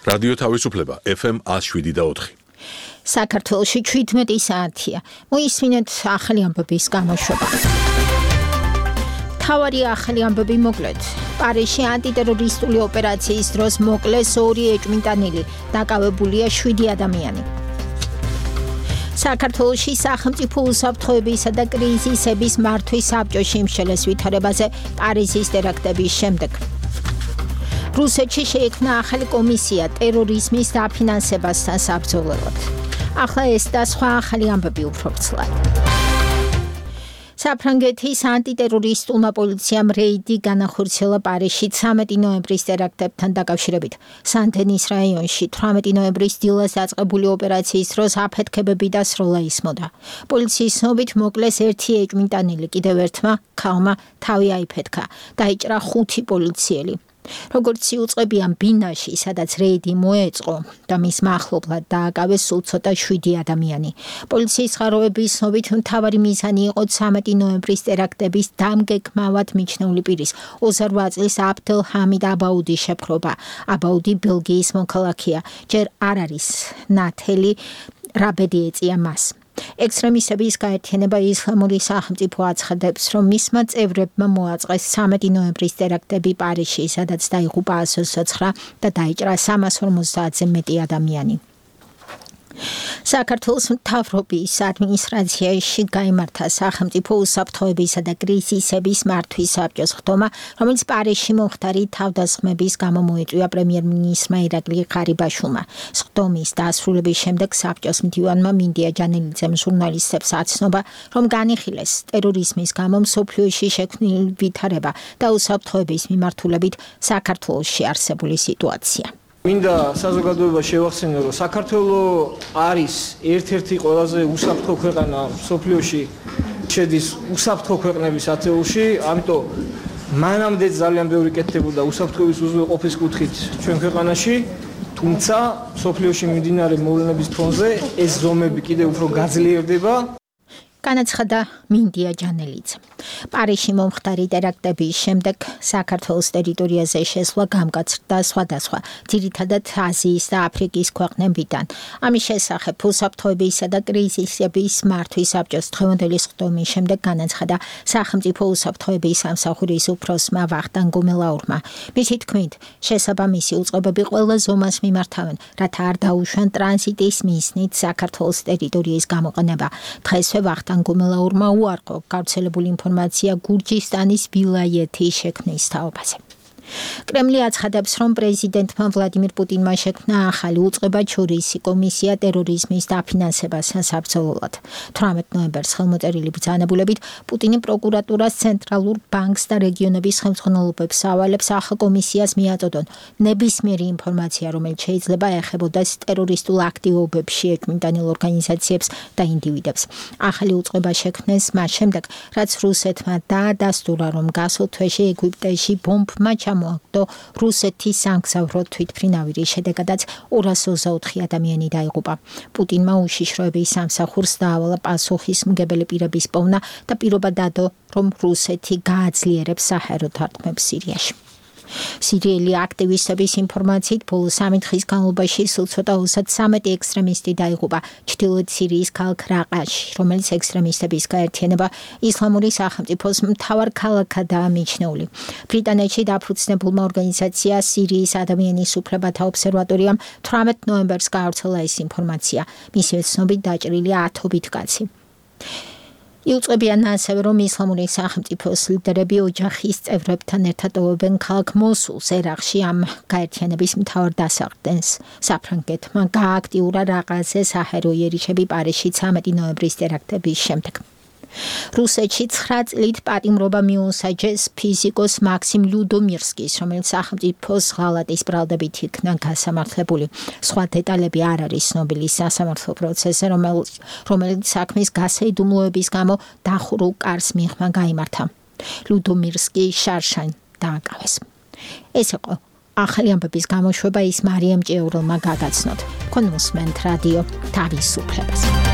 რადიო თავისუფლება FM 107.4. საქართველოში 17 საათია. მოისმინეთ ახალი ამბების გამოშვება. თავარი ახალი ამბები მოკლედ. პარიზში ანტიტერორისტული ოპერაციის დროს მოკლეს 2 ეჭვმიტანილი, დაკავებულია 7 ადამიანი. საქართველოში სახელმწიფო უსაფრთხოებისა და კრიზისების მართვის საბჭოში იმშელეს ვითარებაზე პარიზის ტერაქტების შემდეგ. რუსეთში შეიქმნა ახალი კომისია ტერორიზმის დაფინანსებასთან საბრძოლველად. ახლა ეს და სხვა ახალი ამბები უფრო ვრცლად. საფრანგეთის ანტიტერორისტულმა პოლიციამ რეიდი განახორციელა პარიზში 13 ნოემბრის ტერაქტებთან დაკავშირებით. სან-დენის რაიონში 18 ნოემბრის დილას დაწყებული ოპერაციის დროს აფეთქებები და სროლა ისმოდა. პოლიციის ცნობით მოკლეს 1 ეჭვმიტანილი, კიდევ ერთმა ქალმა თავი აიფეთქა. დაიჭრა 5 პოლიციელი. როგორც იუწყებიან ბინაში, სადაც რეიდი მოეწყო და მის მახლობლად დააკავეს სულ ცოტა 7 ადამიანი. პოლიციის წყაროების ცნობით მთავარი მიზანი იყო 13 ნოემბრის ტერაქტების დამგეგმავად მიჩნეული პირის 28 წლის აბდელ ჰამიდ აბაუდის შეპყრობა. აბაუდი ბელგიის მოქალაქეა, ჯერ არ არის ნათელი რა ბედი ეწია მას. ექსტრემისტების გაერთიანება ისლამური სახელმწიფო აცხადებს, რომ მისმა წევრებმა მოაწყეს 13 ნოემბრის ტერაქტები პარიზში, სადაც დაიღუპა 129 და დაიჭრა 350-ზე მეტი ადამიანი. საქართველოს მთავრობის ადმინისტრაციაში გაიმართა სახელმწიფო უსაფრთხოებისა და კრიზისების მართვის საბჭოს ხდომა, რომელიც პარიზში მომხდარი თავდასხმების გამო მოიწვია პრემიერ-მინისტრმა ირაკლი ღარიბაშვილმა. ხდომის დასრულების შემდეგ საბჭოს მდივანმა მინდია ჯანელიძემ ჟურნალისტებს აცნობა, რომ განიხილეს ტერორიზმის გამო მსოფლიოში შექმნილი ვითარება და უსაფრთხოების მიმართულებით საქართველოში არსებული სიტუაცია. მინდა საზოგადოება შევახსენო, რომ საქართველო არის ერთ-ერთი ყველაზე უსაფრთხო ქვეყანა მსოფლიოში, შედის უსაფრთხო ქვეყნების ათეულში, ამიტომ მანამდე ძალიან ბევრი კეთდებოდა უსაფრთხოების უზრუნველყოფის კუთხით ჩვენ ქვეყანაში, თუმცა მსოფლიოში მიმდინარე მოვლენების ფონზე ეს ზომები კიდევ უფრო გაძლიერდება. განაცხადა მინდია ჯანელიძე. პარიზში მომხდარი ტერაქტების შემდეგ საქართველოს ტერიტორიაზე შესვლა გამკაცრდა სხვადასხვა, ძირითადად აზიის და აფრიკის ქვეყნებიდან. ამის შესახებ უსაფრთხოებისა და კრიზისების მართვის საბჭოს დღევანდელი ხდომის შემდეგ განაცხადა სახელმწიფო უსაფრთხოების სამსახურის უფროსმა ვახტანგ გუმელაურმა. მისი თქმით, შესაბამისი უწყებები ყველა ზომას მიმართავენ, რათა არ დაუშვან ტრანზიტის მიზნით საქართველოს ტერიტორიის გამოყენება. დღესვე ვახტანგ გუმელაურმა უარყო გავრცელებული ინფორმაცია გურჯისტანის ვილაიეთის შექმნის თაობაზე. კრემლი აცხადებს, რომ პრეზიდენტმა ვლადიმირ პუტინმა შექმნა ახალი უწყებაჩორისი კომისია ტერორიზმის დაფინანსებასთან საბრძოლველად. 18 ნოემბერს ხელმოწერილი ბრძანებულებით პუტინი პროკურატურას, ცენტრალურ ბანკს და რეგიონების ხელმძღვანელობებს ავალებს ახალ კომისიას მიაწოდონ ნებისმიერი ინფორმაცია, რომელიც შეიძლება ეხებოდეს ტერორისტულ აქტივობებში ეჭვმიტანილ ორგანიზაციებს და ინდივიდებს. ახალი უწყება შექმნეს მას შემდეგ, რაც რუსეთმა დაადასტურა, რომ გასულ თვეში ეგვიპტეში ბომბმა მოაგდო რუსეთის სამგზავრო თვითმფრინავი, შედეგადაც 224 ადამიანი დაიღუპა. პუტინმა უშიშროების სამსახურს დაავალა პასუხისმგებელი პირების პოვნა და პირობა დადო, რომ რუსეთი გააძლიერებს საჰაერო დარტყმებს სირიაში. სირიელი აქტივისტების ინფორმაციით ბოლო 3 დღის განმავლობაში სულ ცოტა 33 ექსტრემისტი დაიღუპა ჩრდილოეთ სირიის ქალაქ რაყაში, რომელიც ექსტრემისტების გაერთიანება ისლამური სახელმწიფოს მთავარ ქალაქადაა მიჩნეული. ბრიტანეთში დაფუძნებულმა ორგანიზაცია სირიის ადამიანის უფლებათა ობსერვატორიამ 18 ნოემბერს გაავრცელა ეს ინფორმაცია. მისივე ცნობით დაჭრილია 10 კაცი. იუწყებიან ასევე, რომ ისლამური სახელმწიფოს ლიდერები ოჯახის წევრებთან ერთად ოვებენ ქალაქ მოსულს, ერაყში ამ გაერთიანების მთავარ დასაყრდენს. საფრანგეთმა გააქტიურა რაყაზე საჰაერო იერიშები პარიზში 13 ნოემბრის ტერაქტების შემდეგ. რუსეთში 9 წლით პატიმრობა მიუსაჯეს ფიზიკოს მაქსიმ ლუდომირსკის, რომელიც სახელმწიფოს ღალატის ბრალდებით იქნა გასამართლებული. სხვა დეტალები არ არის ცნობილი სასამართლო პროცესზე, რომელიც საქმის გასაიდუმლოების გამო დახურულ კარს მიღმა გაიმართა. ლუდომირსკი შარშან დააკავეს. ეს იყო ახალი ამბების გამოშვება, ის მარიამ ჭიაურელმა გადაცნოთ. თქვენ მოსმენთ რადიო თავისუფლებას.